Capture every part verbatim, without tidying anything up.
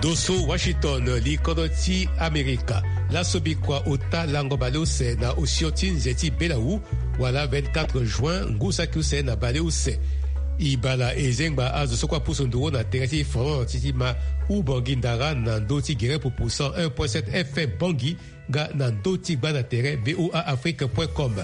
Doso Washington, li kodro ti Amerika. Laso bikua ota lango baleuse na osio ti nze ti belawu, wala vingt-quatre juin, ngu saki use na baleuse. E bala e zengba azo so kue apusu nduru na tere ti France ti ma Ubangui Ndara na ndö ti gere pupu cent un point sept F M Bangui, nga na ndö ti gba na tere V O A Afrique point com.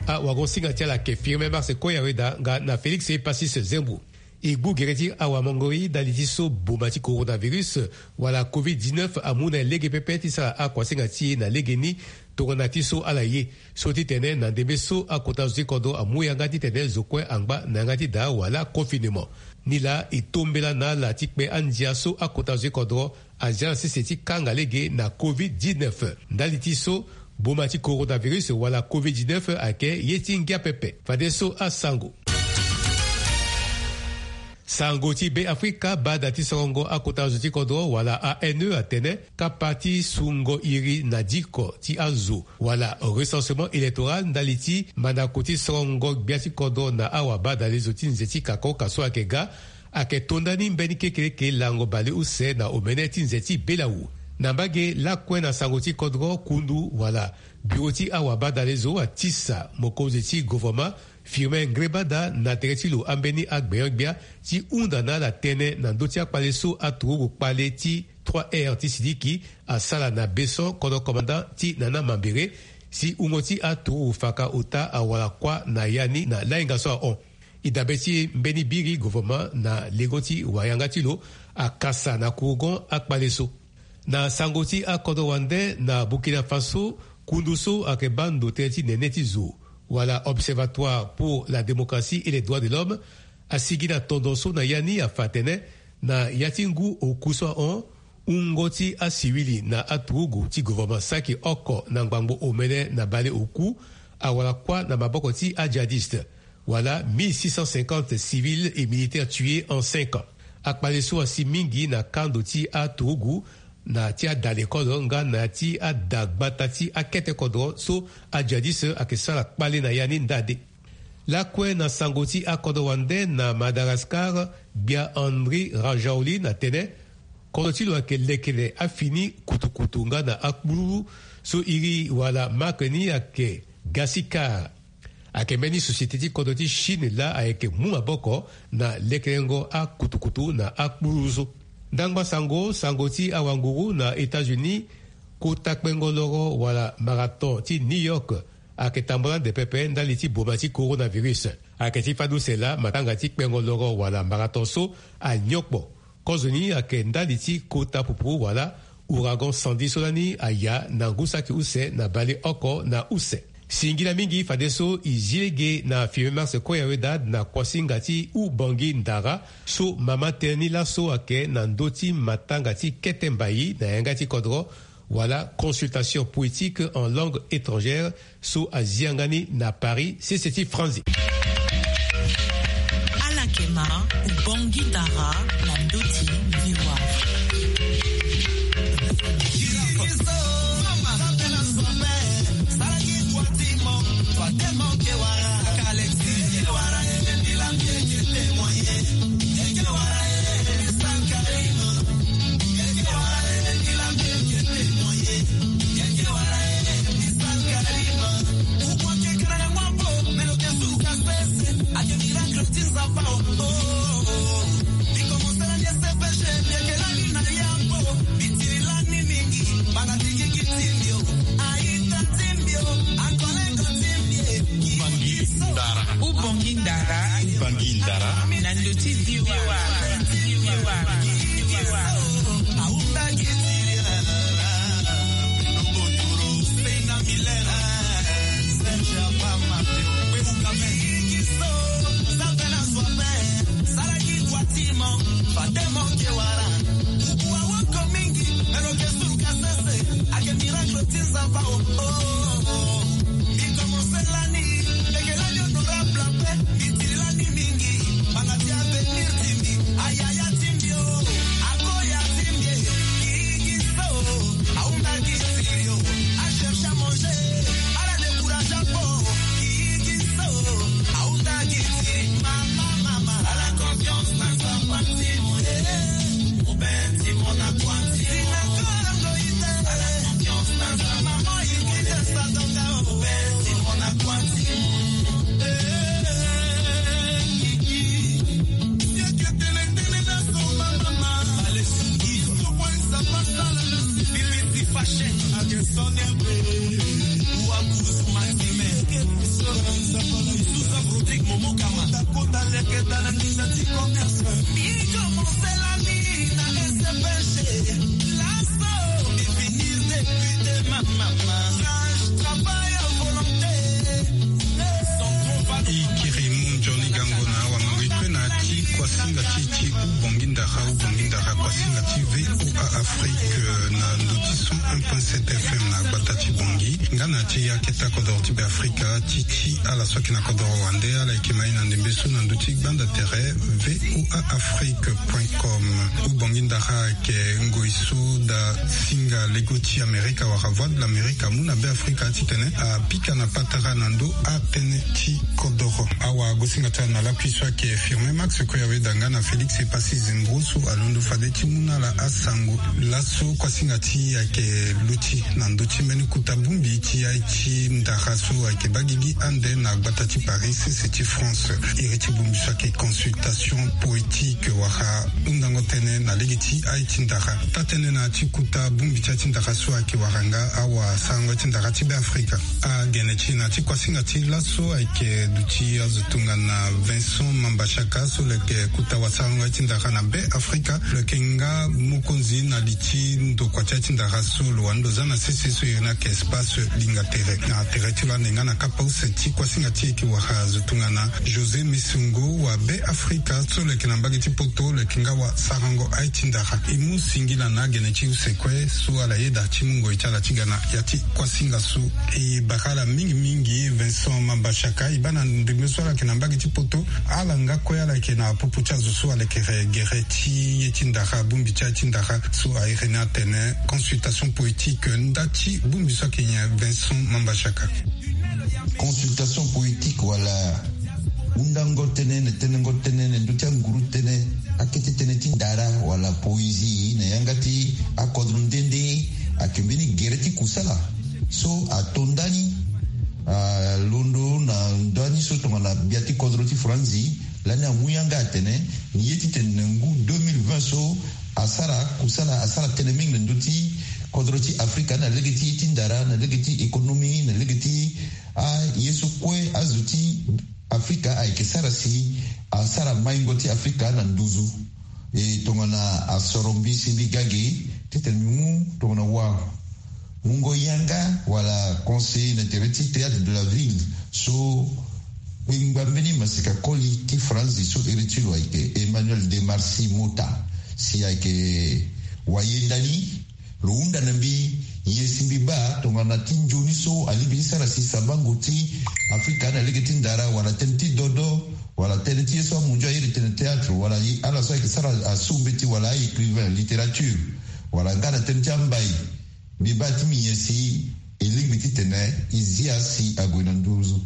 Awagosinga ti ala ayeke Firmin Mars Koyaweda nga na Félix Passis Zembu. E gbu gere ti awamangori ndali ti so boma ti coronavirus wala covid dix-neuf amu na e lege pepe ti sara akuasinga ti e na legeni, tongana ti so ala ye. So ti tene na ndembe so akota zo ti kodro amu yanga titene zo kue angba na yanga ti daa wala confinement. Nilaa e tombela na ala ti kpe andia so akota zo ti kodro azia na sese ti kanga lege na covid dix-neuf. Ndali ti so boma ti coronavirus wala covid dix-neuf ayeke ye ti ngia pepe. Fadeso asango. Sango ti Be Afrika baa da ti sorongo akota zo ti kodro wala A N E atene kapa ti sungo iri na diko ti azo wala recensement électoral ndali ti mandako ti sorongo gbia ti kodro na awabadalezo ti nze ti kakoka so ayeke ga, ayeke to ndani mbeni kekeleke lango baleuse na omene ti nze ti belawu. Na mbage lakue na sango ti kodro kundu wala biro ti awabadalezo atisa mokonzi ti govoroma Firmin Ngrébada na tere ti lo ambeni agbenyo-gbia ti hunda na ala tënë na ndö ti akpale so aturugu kpale ti trois R ti Sidiki asala na Besson, kodro commandant ti Nana Mambéré, si wungo ti aturugu faka ota awara kuâ na ya ni na lahinga so ahon. E dabe ti e mbeni biri govoroma na lengo ti wayanga ti lo akasa na kurugon akpale so. Na sango ti akodro wande na Burkina Faso, kundu so ayeke baa ndo tënë ti nene ti zo wala Observatoire pour la démocratie et les droits de l'homme asigi na tondo so na ya ni afa atene na ya ti ngu oku so ahon, wungo ti asiwili na aturugu ti govoroma saki oko na ngbangbo omene na bale oku awara kuâ na maboko ti ajihadiste. Wala mille six cent cinquante civils et militaires tués en cinq ans. Akpale so asi mingi na kando ti aturugu, na ti ada lekolo nga na ti ada gbata ti akete kodro so ajihadiste ayeke sara kpale na ya ni ndade. Lakue na sango ti akodro wande na Madagascar, gbia Andry Rajoelina atene kodro ti lo ayeke lekere afini kutukutu nga na akpululu so iri wala marque ni ayeke Gasikar. Ayeke mbeni société ti kodro ti Chine laa ayeke mu maboko na lekerengo akutukutu na akpululu so. Ndangba sango, sango ti awanguru na États-Unis, kota kpengo loro wala marathon ti New York ayeke tambula ande pepe ndali ti boma ti coronavirus. Ayeke ti fade use laa matanga ti kpengo loro wala marathon so anyon kpo. Kozoni ayeke ndali ti kota pupu wala ouragan Sandy so lani aya na ngu saki use na baleoko na use. Singila mingi fadeso e zi lege na Firmin Mars Koyaweda na kuasinga ti Ubangui Ndara so mama tënë ni laso ayeke na ndö ti matanga ti kete mbai na yanga ti kodro wala consultation poétique en langue étrangère so azi yanga ni na Paris, sese ti Franzi. Ala yeke ma Ubangui Ndara na ndö ti V O A. Ubangui Ndara. Ubangui Ndara. Ubangui Ndara. Na ndö ti V O A. Ikiri mu nzoni gango na awa mango ikue na ti kuasinga ti ti ubongi ndara ubongi ndara kuasinga ti VOA Afrique na ndo ti cent un point sept F M na gbata ti Bongi. Nga na ti ya keta kodoro ti Be Afrika ti ti ala so ayeke na kodoro wande ala yeke mai na ndembe so na ndo ti gbanda tere VOA Afrique point com. Ubongi ndara ayeke ngoi so da singa lego ti Amerika wala Voix de l'Amérique amu na Be Afrika titene apika na patara na ndo atënë ti kodoro. Awa gosinga ti ala na lakui so ayeke Firmin Max kue aweda nga na Félix Epassi Zembro so alondo fade ti mu na ala asango. Laso kuasinga ti e ayeke luti na ndö ti mbeni kota bongbi ti aye ti ndara so ayeke baa gigi ande na gbata ti Paris sese ti France. Iri ti bongbi so ayeke consultation poétique wala hundango tënë na lege ti aye ti ndara. Taa-tënë na ya ti kota bongbi ti aye ti ndara so ayeke wara nga awasarango aye ti ndara ti Be Afrika. Agene ti e na ya ti kuasinga ti laso ayeke duti azo tongana Vincent Mambachaka so lo yeke kota wasarango aye ti ndara na Be Afrika. Lo yeke nga mokonzi na li ti ndokua ti aye ti ndara so lo wani lo za na sese so iri ni ayeke espace linga tere. Na tere ti lo ande nga na kapa use ti kuasinga ti e ayeke wara azo tongana José Mesongo wa Be Afrika so lo yeke na mbage ti Poto, lo yeke nga wasarango aye ti ndara. E mu singila na agene ti use kue so ala yeda ti mu ngoi ti ala ti ga na ya ti kuasinga so. E bara ala mingi mingi Vincent Mambachaka, e baa na ndembe so ala yeke na mbage ti Poto. Ala nga kue ala yeke na popo ti azo so alekere gere ti ye ti ndara bongbi ti aye ti ndara so a iri ni atene consultation poétique. Nda ti bongbi so ayeke nyen Vincent Mambachaka? Consultation poétique wala hundango tënë na tenengo tënë na ndö ti anguru tënë, akete tënë ti ndara wala poésie na yanga ti akodro nde nde ayeke mbeni gere ti kusala so ato ndani, alondo na ndani so tongana gbia ti kodro ti Franzi. Lani amu yanga atene ni ye titene na ngu deux mille vingt so asara kusala, asara tënë mingi na ndö ti kodro ti Afrika na lege ti ye ti ndara, na lege ti économie, na lege ti aye so kue azo ti Afrika ayeke sara si asara maingo ti Afrika na nduzu. E tongana asoro mbi si mbi ga ge titene mbi mu tongana wa mungo yanga wala conseiller na tere ti théâtre de la ville so kpengba mbeni masika koli ti Franzi so iri ti lo ayeke Emmanuel de Marcy Mota, si ayeke wayenda ni. Lo hunda na mbi nyen si mbi baa tongana ti nzoni so alingbi ti sara si sabango ti Afrika na lege ti ndara wala tënë ti dodo wala tënë ti ye so amunzu airi tene théâtre wala ala so ayeke sara asu mbeti wala a-écrivain, littérature, wala nga na tënë ti ambai. Mbi baa ti mi nyen si e lingbi titene e zia si ague na nduzu.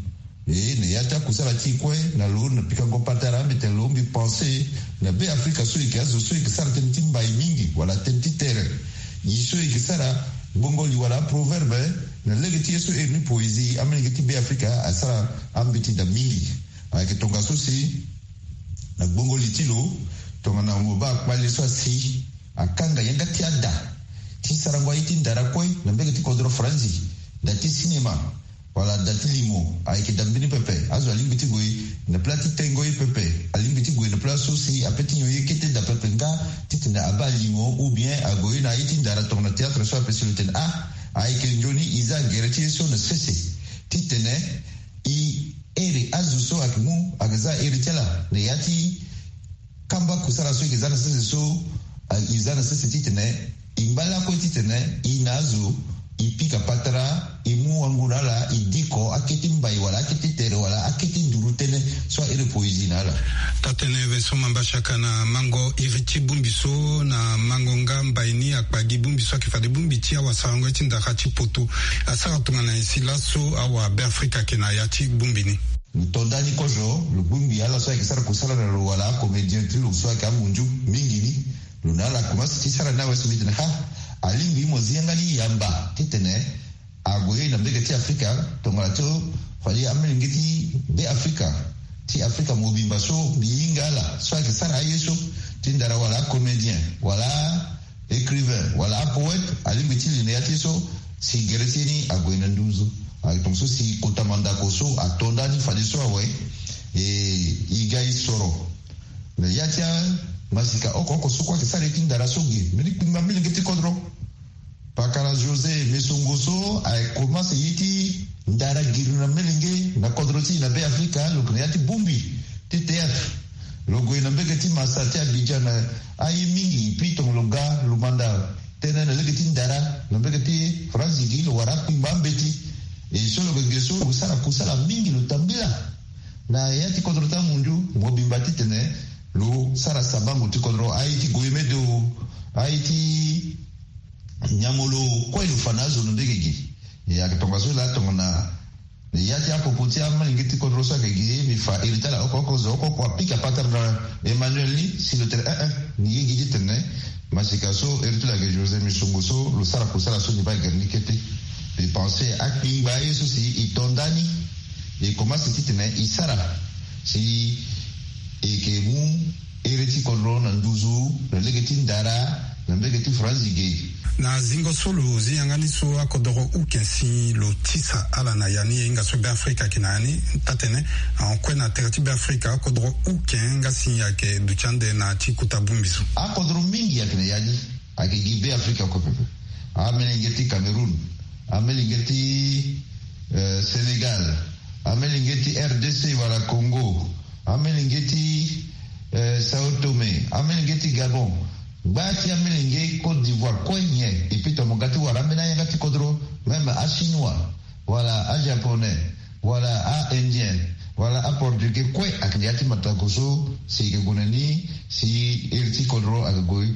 E na ya ti akusala ti e kue na lo na pikango patara mbi tene lo mbi pense na Be Afrika so e yeke azo so e yeke sara tënë ti mbai mingi wala tënë ti tere. Ye so e yeke sara gbongo li wala aproverbe na lege ti ye so e iri ni poésie, amelenge ti Be Afrika asara ambeti daa mingi. Ayeke tongaso si na gbongo li ti lo tongana mo baa kpale so asi akanga yanga ti ada ti sarango aye ti ndara kue na mbege ti kodro Faranzi, da ti sinema wala da ti limo ayeke da mbeni pepe. Azo alingbi ti gue na pla ti tengo ye pepe, alingbi ti gue na pla so si ape ti nyon ye kete da pepe nga titene abaa limo ou bien ague ye na aye ti ndara tongana théâtre so ape si lo tene ah ayeke nzoni e za gere ti ye so na sese titene e iri azo so ayeke mu ayeke za iri ti ala na ya ti kamba kusala so e yeke za na sese so, e za na sese titene e ngba lakue titene e na azo e pika patara e mu wango na ala e diko akete mbai wala akete tere wala akete nduru tënë so a iri poésie na ala. Taa-tënë Vincent Mambachaka na mango iri ti bongbi so na mango nga mbai ni akpa gi bongbi so ayeke fade bongbi ti awasarango ye ti ndara ti poto. Asara tongana nyen si laso awa Be Afrika ayeke na ya ti bongbi ni? Lo to ndani kozo lo bongbi ala so ayeke sara kusala na lo wala acomédien ti lo so ayeke amunzu mingi ni. Lo na ala akomanse ti sara ni awe so mbi tene ha alingbi mo zi yanga ni yamba titene ague na mbege ti Afrika tongana ti fade amelenge ti Be Afrika ti Afrika mobimba so mbi hinga ala so ayeke sara aye so ti ndara wala acomédien wala écrivain wala apoète alingbi ti li na ya ti ye so Si gere ti e ni ague na nduzu. Ayeke tongaso si kota mandako so ato ndani fadeso awe. E, e ga e soro. Na ya ti amasika oko oko so kue ayeke sara ye ti ndara so ge mbeni kpingba melenge ti kodro. Pakara José Mesongo so aye komanse ye ti ndara giri na melenge na kodro ti e na Be Afrika, lo yeke na ya ti bongbi ti théâtre. Lo gue na mbege ti masa ti Abidjan na aye mingi, puis tongo lo ga lo manda tënë na lege ti ndara na mbege ti Franzi gi, lo wara akpingba ambeti. E so lo yeke ge so lo sara kusala mingi, lo tambila na ya ti kodro ti amunzu mobimba titene lo sara sabango ti kodro, aye ti goyemedo, aye ti nyamolo kue lo fa na azo na ndege gi. E ayeke tongaso laa tongana ya ti apopo ti amalenge ti kodro so ayeke gi, mbi fa iri ti ala oko oko zo oko oko apika patara na Emmanuel ni si lo tene eh eh ni ye gi titene masika so iri ti lo ayeke José Mesongo so lo sara kusala so ni baa gere ni kete. Mbi pense akpingba ye so si e to ndani, e komanse titene e sara si e yeke mu iri ti kodro na nduzu na lege ti ndara na mbege ti Franzi ge. Na zingo so lo zi yanga ni so akodoro uke si lo tisa ala na ya ni, e hinga so Be Afrika ayeke na ya ni, taa-tene ahon kue na tere ti Be Afrika akodoro uke nga si ayeke duti ande na ya ti kota bongbi so. Akodoro mingi ayeke na ya ni, ayeke gi Be Afrika kue pepe. Amelenge ti Cameroun, amelenge ti eh, Sénégal, amelenge ti R D C wala Congo, amelenge ti eh, Sao Tome, amelenge ti Gabon, gba ti amelenge Côte d'Ivoire kue nyen. Et puis tongana mo ga ti wara ambeni ayanga ti kodro, même achinois wala ajaponais wala a-indien wala aportugais kue ayeke na ya ti matako so si e yeke gue na ni si iri ti kodro ayeke gue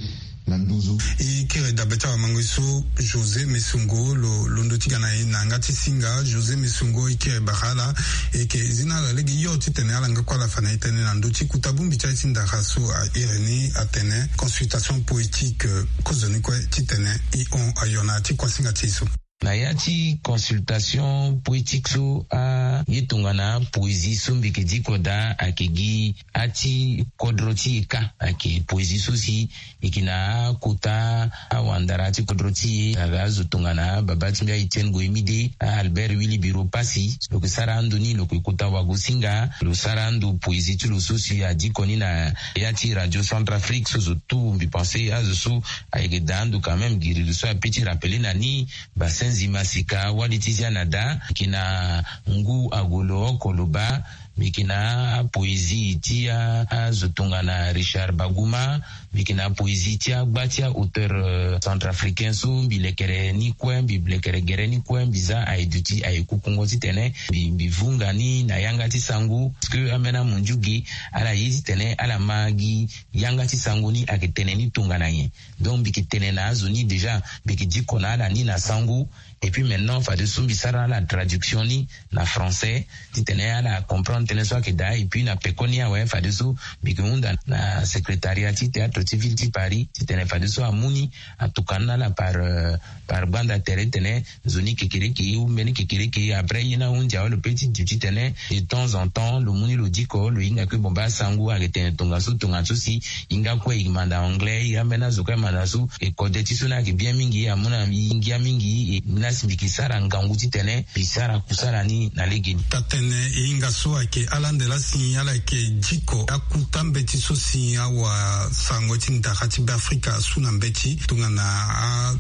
na nduzu. E kiri dabe ti awamangoi so José Mesongo lo londo ti ga na e na yanga ti singa. José Mesongo, e kiri bara ala. E yeke zi na ala lege yo titene ala nga kue ala fa na e tënë na ndö ti kota bongbi ti aye ti ndara so a iri ni atene consultation poétique. Kozoni kue titene e hon ayo na ya ti kuasinga ti e so. Na ya ti consultation poétique so, aye tongana poésie so mbi yeke diko daa ayeke gi ati kodro ti e kâ. Ayeke poésie so si e yeke na akota awandara ti kodro ti e, aga azo tongana babâ ti mbi a-Etienne Goyemide, a-Albert Wilibiro Passy. Lo yeke sara ando ni, lo yeke kota wagosinga, lo sara ando poésie ti lo so si adiko ni na ya ti Radio Centrafrique so zo tout. Mbi pense azo so ayeke daa ando quand même giri lo so ape ti rappeler na ni. Basenzi masika wali ti zia na da, mbi yeke na ngu ague lo oko lo baa. Mbi yeke na apoésie ti a, azo tongana Richard Baguma. Mbi yeke na apoésie ti agba ti a-auteur, euh, centrafricain so mbi lekere ni kue, mbi lekere gere ni kue, mbi za aye duti aye kukungo titene mbi, mbi vunga ni na yanga ti sango. Parce que ambeni amunzu ge, ala ye titene ala ma gi yanga ti sango ni ayeke tene ni tongana nyen. Donc mbi yeke tene na azo ni déjà, mbi yeke diko na ala ni na sango. Et puis maintenant fadeso mbi sara ala traduction ni na français titene ala comprendre tënë so ayeke daa. Et puis na pekoni awe fadeso mbi yeke hunda na secrétariat ti théâtre ti ville ti Paris titene fadeso amu ni, atokua ni na ala par, euh, par gbanda tere titene nzoni kekereke ou mbeni kekereke. Après ye ni ahunzi awe lo pe ti duti titene de temps en temps lo mu ni lo diko, lo hinga kue. Bon, baa sango ayeke tene tongaso tongaso si e hinga kue e manda anglais, e ambeni azo kue e manda so. E kode ti so ni ayeke bien mingi, amu na e ngia mingi. E ni asi mbi yeke sara ngangu titene mbi sara kusala ni na legeni. Taa-tene e hinga so ayeke ala ande laa si ala yeke diko akuta mbeti so si awasango ti ndara ti Be Afrika asu na mbeti tongana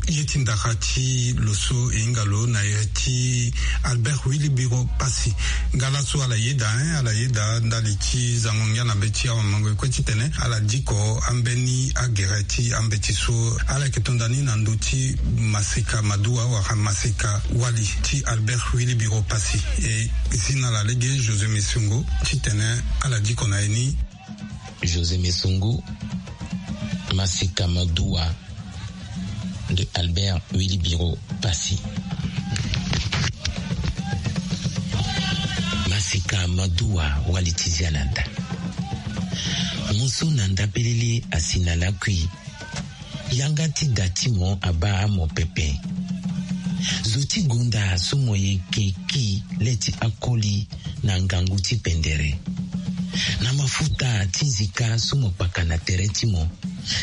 aye ti ndara ti lo so e hinga lo na iri ti Albert Wilibiro Passy. Nga laso ala yeda, hein, ala yeda ndali ti zango ngia na mbeti awamango e kue titene ala diko ambeni agere ti ambeti so. Ala yeke to nda ni na ndö ti masika maduwa wala masika wali ti Albert Wilibiro Passy. E zi na ala lege José Mesongo titene ala diko na e ni. José Mesongo, masika maduwa de Albert Wilibiro Passy. Masika maduwa wali ti zia na nda. Mo so na nda pelele asi na lakui. Yanga ti da ti mo abaa mo pepe. Zo ti gonda so mo yeke ki le ti akoli na ngangu ti pendere. Na mafuta ti nzika so mo kpaka na tere ti mo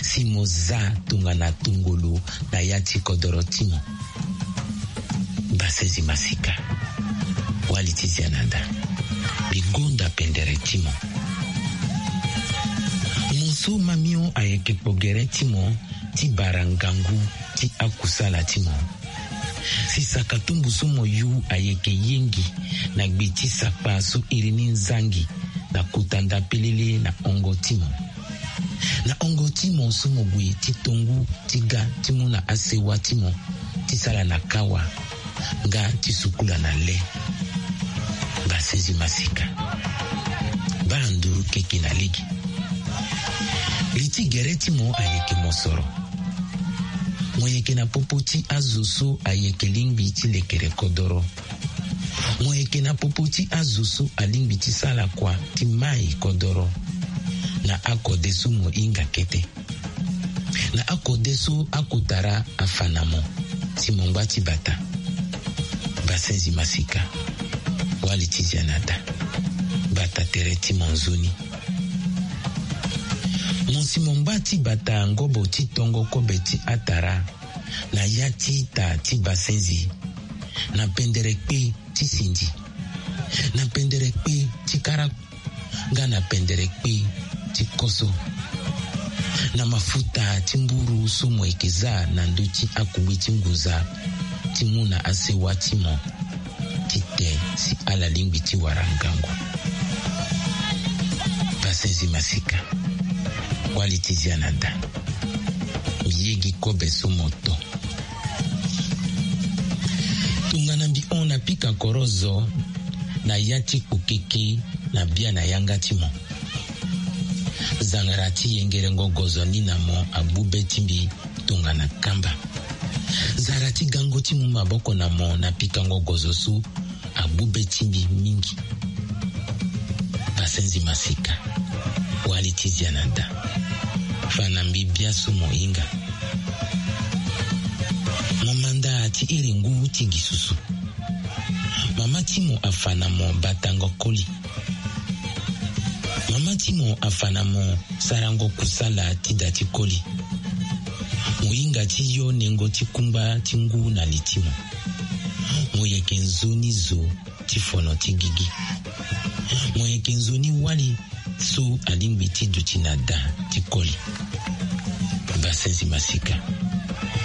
si mo za tongana tongolo na ya ti kodoro ti mo. Basenzi masika, wali ti zia na da, mbi gonda pendere ti mo. Mo so mamio ayeke kpo gere ti mo ti bara ngangu ti akusala ti mo. Si saka tumbu so mo yu ayeke yengi na gbe ti sakpa so iri ni nzangi na kota ndapelele na hongo ti mo. Na hongo ti mo so mo gue ti tongu ti ga ti mu na asewa ti mo ti sala na kawa nga ti sukula na le. Basenzi masika, baa nduru keke na lege. Li ti gere ti mo ayeke mosoro. Mo yeke na popo ti azo so ayeke lingbi ti lekere kodoro. Mo yeke na popo ti azo so alingbi ti sala kua ti mai kodoro. Na akode so mo hinga kete, na akode so akotara afa na mo, si mo ngba ti bata. Basenzi masika, wali ti zia na da, bata tere ti mo nzoni. Mo si mo ngba ti bata ngobo ti tongo kobe ti atara na ya ti ita ti basenzi, na pendere kpe ti sindi, na pendere kpe ti kara, nga na pendere kpe ti koso, na mafuta ti mburu so mo yeke za na ndö ti akugbe ti ngunza ti mu na asewa ti mo ti te si ala lingbi ti wara ngangu. Basenzi masika, wali ti zia na da, mbi yegi kobe so mo to. Tongana mbi hon na pika korozo na ya ti kpokeke na bia na yanga ti mo. Zangara ti yengerengo gozo ni na mo agbu be ti mbi tongana kamba. Zara ti gango ti mu maboko na mo na pikango gozo so agbu be ti mbi mingi. Basenzi masika, wali ti zia na da, fa na mbi bia so mo hinga. Mo manda ti iri ngu ti gi susu. Mama ti mo afa na mo batango koli. Mama ti mo afa na mo sarango kusala ti da ti koli. Mo hinga ti yo nengo ti kungba ti ngu na li ti mo. Mo yeke nzoni zo ti fono ti gigi. Mo yeke nzoni wali so alingbi ti duti na da ti koli. Basenzi masika,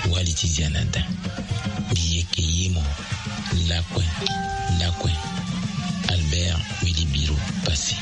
wali ti zia na da, mbi yeke ye mo. Lakue, lakue. Albert Wilibiro Passy.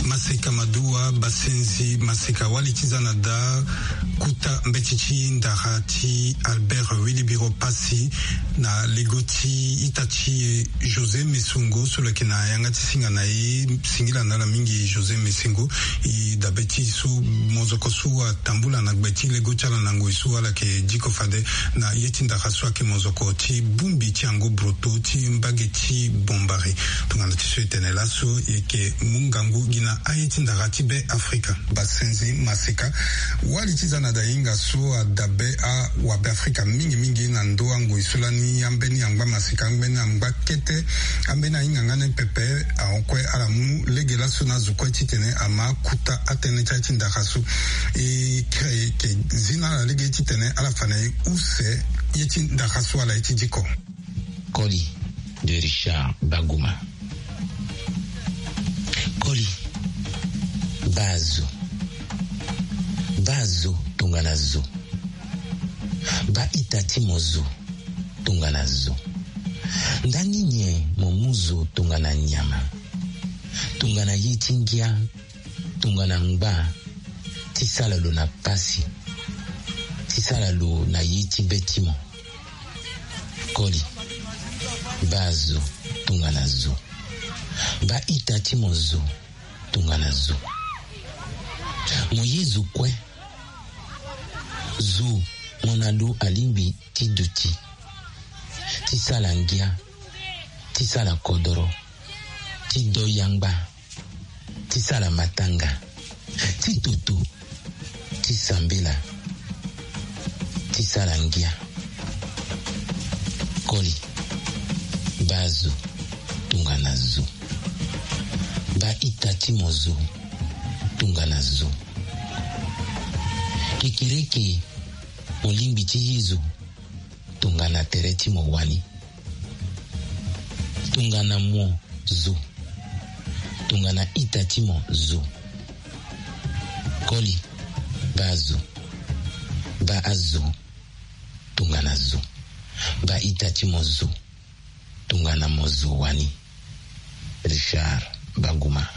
Maseka maduwa, basenzi maseka, wali ti za na da. Kuta mbeti ti ndara ti Albert Wilibiro Passy na lego ti ita ti e José Mesongo, so lo yeke na yanga ti singa na e. Singila na ala mingi José Mesongo. E dabe ti so mozoko so atambula na gbe ti lego ti ala na ngoi so ala yeke diko fade na ye ti ndara so ayeke mozoko ti bongbi ti yango broto ti mbage ti bombari. Tongana ti so e tene laso, e yeke mu ngangu gi na aye ti ndara ti Be Afrika. Basenzi maseka, wali ti za na da hinga so adabe awabe Afrika mingi. Mingi na ndö angoi so lani ambeni angba maseka, ambeni angba kete, ambeni ahinga nga ni pepe. Ahon kue ala mu lege laso na azo kue titene ama kuta atënë ti aye ti ndara so. E kiri ayeke zi na ala lege titene ala fa na e use ye ti ndara so ala ye ti diko. Koli de Richard Baguma. Koli, baa zo. Baa zo tongana zo. Baa ita ti mo zo tongana zo. Ndani nyen mo mu zo tongana nyama, tongana ye ti ngia, tongana ngba, ti sala lo na pasi, ti sala lo na ye ti be ti mo? Koli, baa zo tongana zo. Baa ita ti mo zo tongana zo. Mo ye zo kue. Zo, mo na lo alingbi ti duti, ti sala ngia, ti sala kodoro, ti do yangba, ti sala matanga, ti toto, ti sambela, ti sala ngia. Koli, baa zo tongana zo. Baa ita ti mo zo tongana zo. Kekereke, mo lingbi ti ye zo tongana tere ti mo wani. Tongana mo zo. Tongana ita ti mo zo. Koli, baa zo. Baa zo tongana zo. Baa ita ti mo zo tongana mo zo wani. Richard Baguma.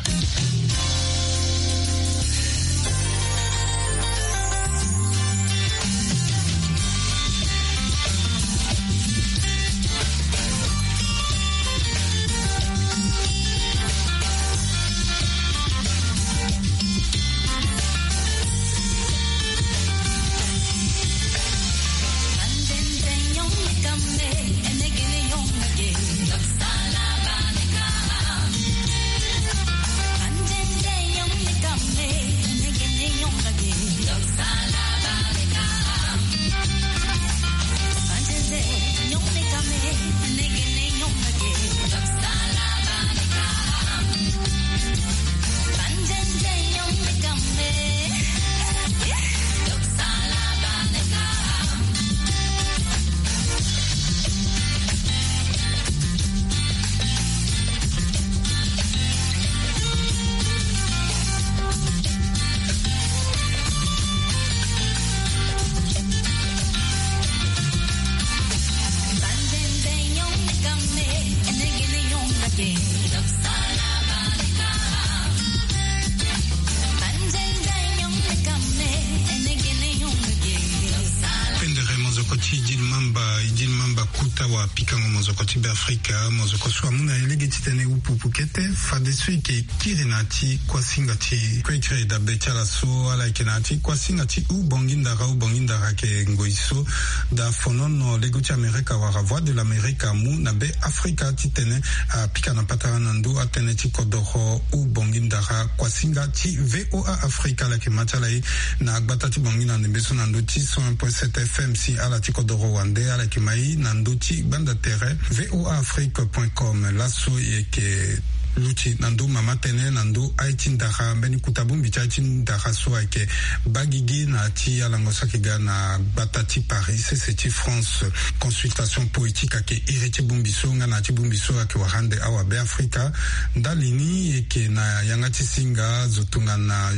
Pendere, mozoko ti Idil Mamba. Idil Mamba kuta wa pikango mozoko ti Beafrika, mozoko so amu na e lege titene upuupu kete, fadeso e yeke kiri na ya ti kuasinga ti kue kiri dabe ti ala so, ala yeke na ya ti kuasinga ti Ubongi Ndara. Ubongi Ndara ayeke ngoi so daa fonono lego ti Amerika wala Voix de l'Amérique amu na Be Afrika titene apika na patara na ndö atënë ti kodoro Ubongi Ndara. Kuasinga ti V O A Afrika, ala yeke ma ti ala ye na gbata ti Bangui na ndembe so na ndö ti cent un point sept F M. Si ala ti kodoro wande, ala yeke ma ye na ndö ti gbanda tere V O A Afrique point com. Laso e yeke luti na ndö mama tënë na ndö aye ti ndara. Mbeni kuta bongbi ti aye ti ndara so ayeke baa gigi na ya ti alango so ayeke ga na gbata ti Paris, sese ti France. Consultation poétique ayeke iri ti bongbi so nga na ya ti bongbi so ayeke wara ande awa Be Afrika. Ndali ni e yeke na yanga ti singa zo tongana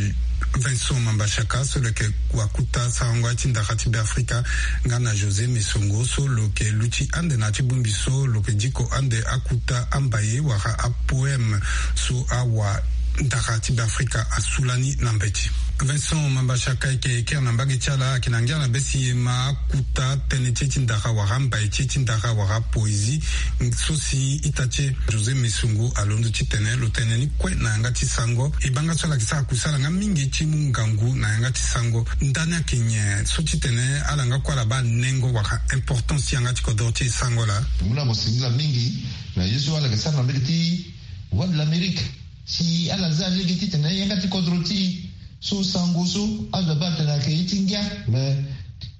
Vincent Mambashaka so lo yeke wakuta sarango aye ti ndara ti Be Afrika, nga na José Messongo so lo yeke luti ande na ya ti bongbi so lo yeke diko ande akuta ambaye wala apoème so awa ndara ti Be Afrika asu lani na mbeti. Vincent Mambashaka ayeke kiri na mbage ti ala, ayeke na ngia na be si e ma akuta tënë ti e ti ndara wala ambaye ti e ti ndara wala poésie so si ita ti e José Messongo alondo titene lo tene ni kue na yanga ti sango. E baa nga so ala yeke sara kusala nga mingi ti mu ngangu na yanga ti sango. Ndani ayeke nyen so titene ala nga kue ala baa nengo wala importance ti yanga ti kodoro ti e sango laa? Mu na mo singila mingi na ye so ala yeke sara na mbage ti Voix de l'Amérique. Si ala za lege titene yanga ti kodro ti e so sango so azo abaa atene ayeke ye ti ngia, me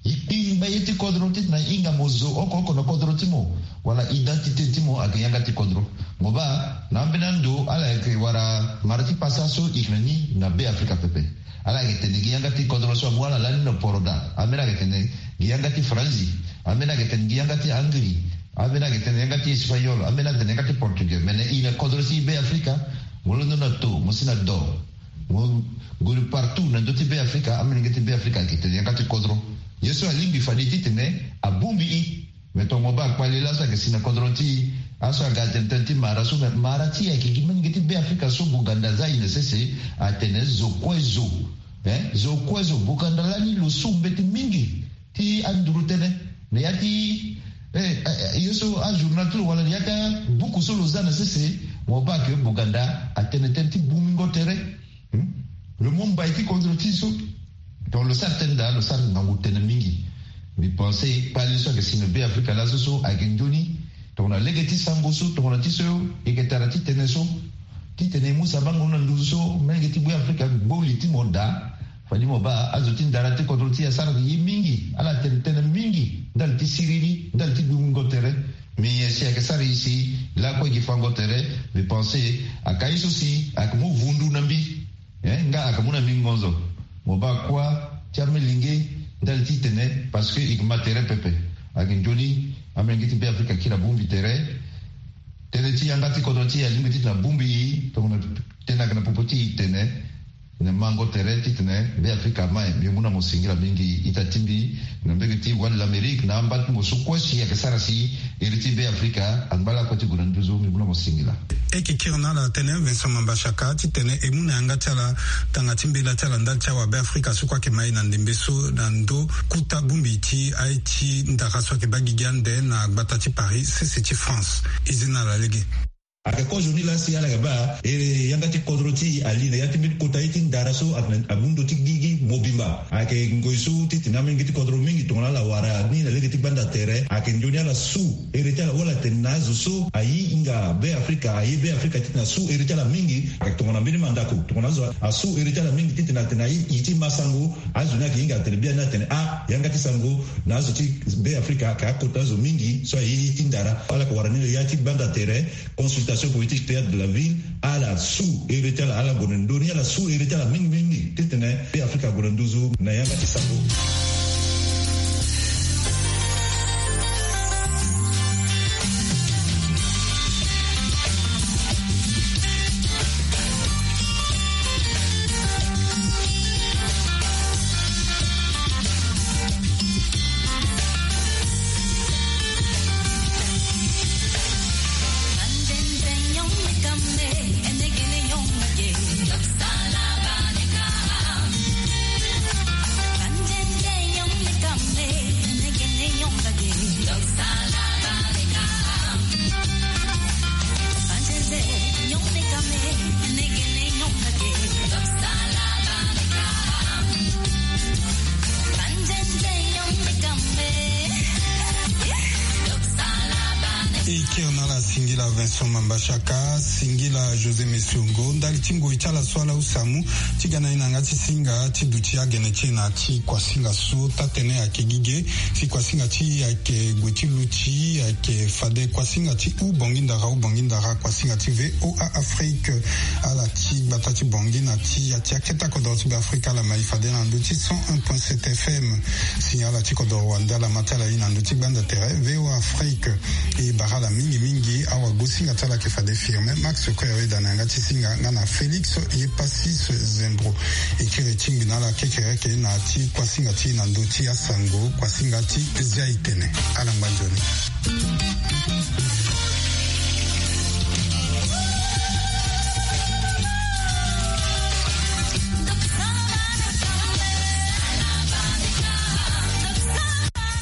Ye kpingba ye ti kodro titene ahinga mo zo oko oko na kodro ti mo, wala identité ti mo ayeke yanga ti kodro. Mo baa na ambeni ando ala yeke wara mara ti pasa so e yeke na ni na Be Afrika pepe. Ala yeke tene gi yanga ti kodro so amu ala lani na poroda. Ambeni ayeke tene gi yanga ti Faranzi. Ambeni ayeke tene gi yanga ti Hongrie. Ambeni ayeke tene yanga ti Espagnol. Ambeni ayeke tene yanga ti Portugais. Me na e na kodro ti Be Afrika, mo londo na to, mo si na do. Mo gue partout na ndö ti Be Afrika, amolenge ti Be Afrika ayeke tene yanga ti kodro. Ye so alingbi fade titene abongbi e. Me tongana mo baa kpale laso ayeke si na kodro ti e, aso aga atene tënë ti mara so, me mara ti e ayeke gi molenge ti Be Afrika so Buganda aza e na sese, atene zo kue zo. Eh, zo kue zo, Buganda lani lo su mbeti mingi ti anduru tënë na ya ti, eh, eh, eh, ye so ajournal ti lo wala na ya ti abuku so lo za na sese, mo baa ke Buganda atene tënë ti bungbingo tere. Hmm? Lo mu mbai ti kodro ti e so. Donc lo sara tënë daa, lo sara ngangu tënë mingi. Mbi pense kpale so ayeke si na Be Afrika laso so ayeke nzoni. Tongana lege ti sango so, tongana ti so e yeke tara ti tene so, titene e mu sabango na nduzu so molenge ti Be Afrika gbo li ti mo daa. Fade mo baa azo ti ndara ti kodro ti e asara ye mingi, ala tene tënë mingi ndali ti siriri, ndali ti bungbingo tere. Me nyen si ayeke sara e si lakue gi fango tere? Mbi pense aka ye so si ayeke mu vundu na mbi. Eh, nga ayeke mu na mbi ngonzo. Mo baa kuâ ti amolenge ndali ti tene, parce que e yeke ma tere pepe. Ayeke nzoni amolenge ti Be Afrika akiri abongbi tere. Tënë ti yanga ti kodro ti e alingbi titene abongbi e, tongana tënë ayeke na popo ti e tene, na mango tere titene Be Afrika ama e. Mbi mu na mo singila mingi ita ti mbi na mbege ti Voix de l'Amérique na amba ti mo so kue si ayeke sara si iri ti Be Afrika angba lakue ti gue na nduzu. Mbi mu na mo singila. E yeke kiri na ala tënë Vincent Mambashaka titene e mu na yanga ti ala tanga ti mbela ti ala ndali ti awa Be Afrika so kue ayeke ma e na ndembe so na ndö kota bongbi ti aye ti ndara so ayeke baa gigi ande na gbata ti Paris sese ti France. E zi na ala lege. Ayeke kozo ni laa si ala yeke baa e, yanga ti kodro ti e ali na ya ti mbeni kota ye ti ndara so, a, amu ndö ti gigi mobimba. Ayeke ngoi so titene amolenge ti kodro mingi tongana ala wara ni na lege ti gbanda tere, ayeke nzoni ala su ere ti ala wala tene na azo so aye hinga Be Afrika, aye Be Afrika titene asu ere ti ala mingi. Ayeke tongana mbeni mandako, tongana azo asu ere ti ala mingi titene atene aye, e ti ma sango, azo ni ayeke hinga atene biani atene a, yanga ti sango na azo ti Be Afrika ayeke akota azo mingi so aye ye ti ndara. Ala yeke wara ni na ya ti gbanda tere, consultation politique, théâtre de la ville, ala su ere ti ala, ala gue na ndö ni, ala su ere ti ala mingi mingi titene Be Afrika ague na nduzu na yanga ti sango. E kiri na ala singila Vincent Mambashaka, singila José Messiongo ndali ti ngoi ti ala so ala use amu ti ga na e na yanga ti singa ti duti agene ti e na ti kuasinga so taa-tënë ayeke gi ge. Si kuasinga ti e ayeke gue ti luti, ayeke fade kuasinga ti hubongi ndara, hubongi ndara, kuasinga ti V O A Afrique. Ala ti gbata ti Bangui na ti ya ti aketa kodro ti Be Afrika ala ma e fade na ndö ti cent un point sept F M. Si ala ti kodro wande ala ma ti ala ye na ndö ti gbanda tere V O A Afrique. E bara ala mingi mingi. Awagosinga ti ala ayeke fade Firmin Max Koyaweda na yanga ti singa nga na Félix Yepassis Zembro. E kiri tingbi na ala kekereke na ti kuasinga ti e na ndö ti asango, kuasinga ti Zia Itene. Ala ngba nzoni.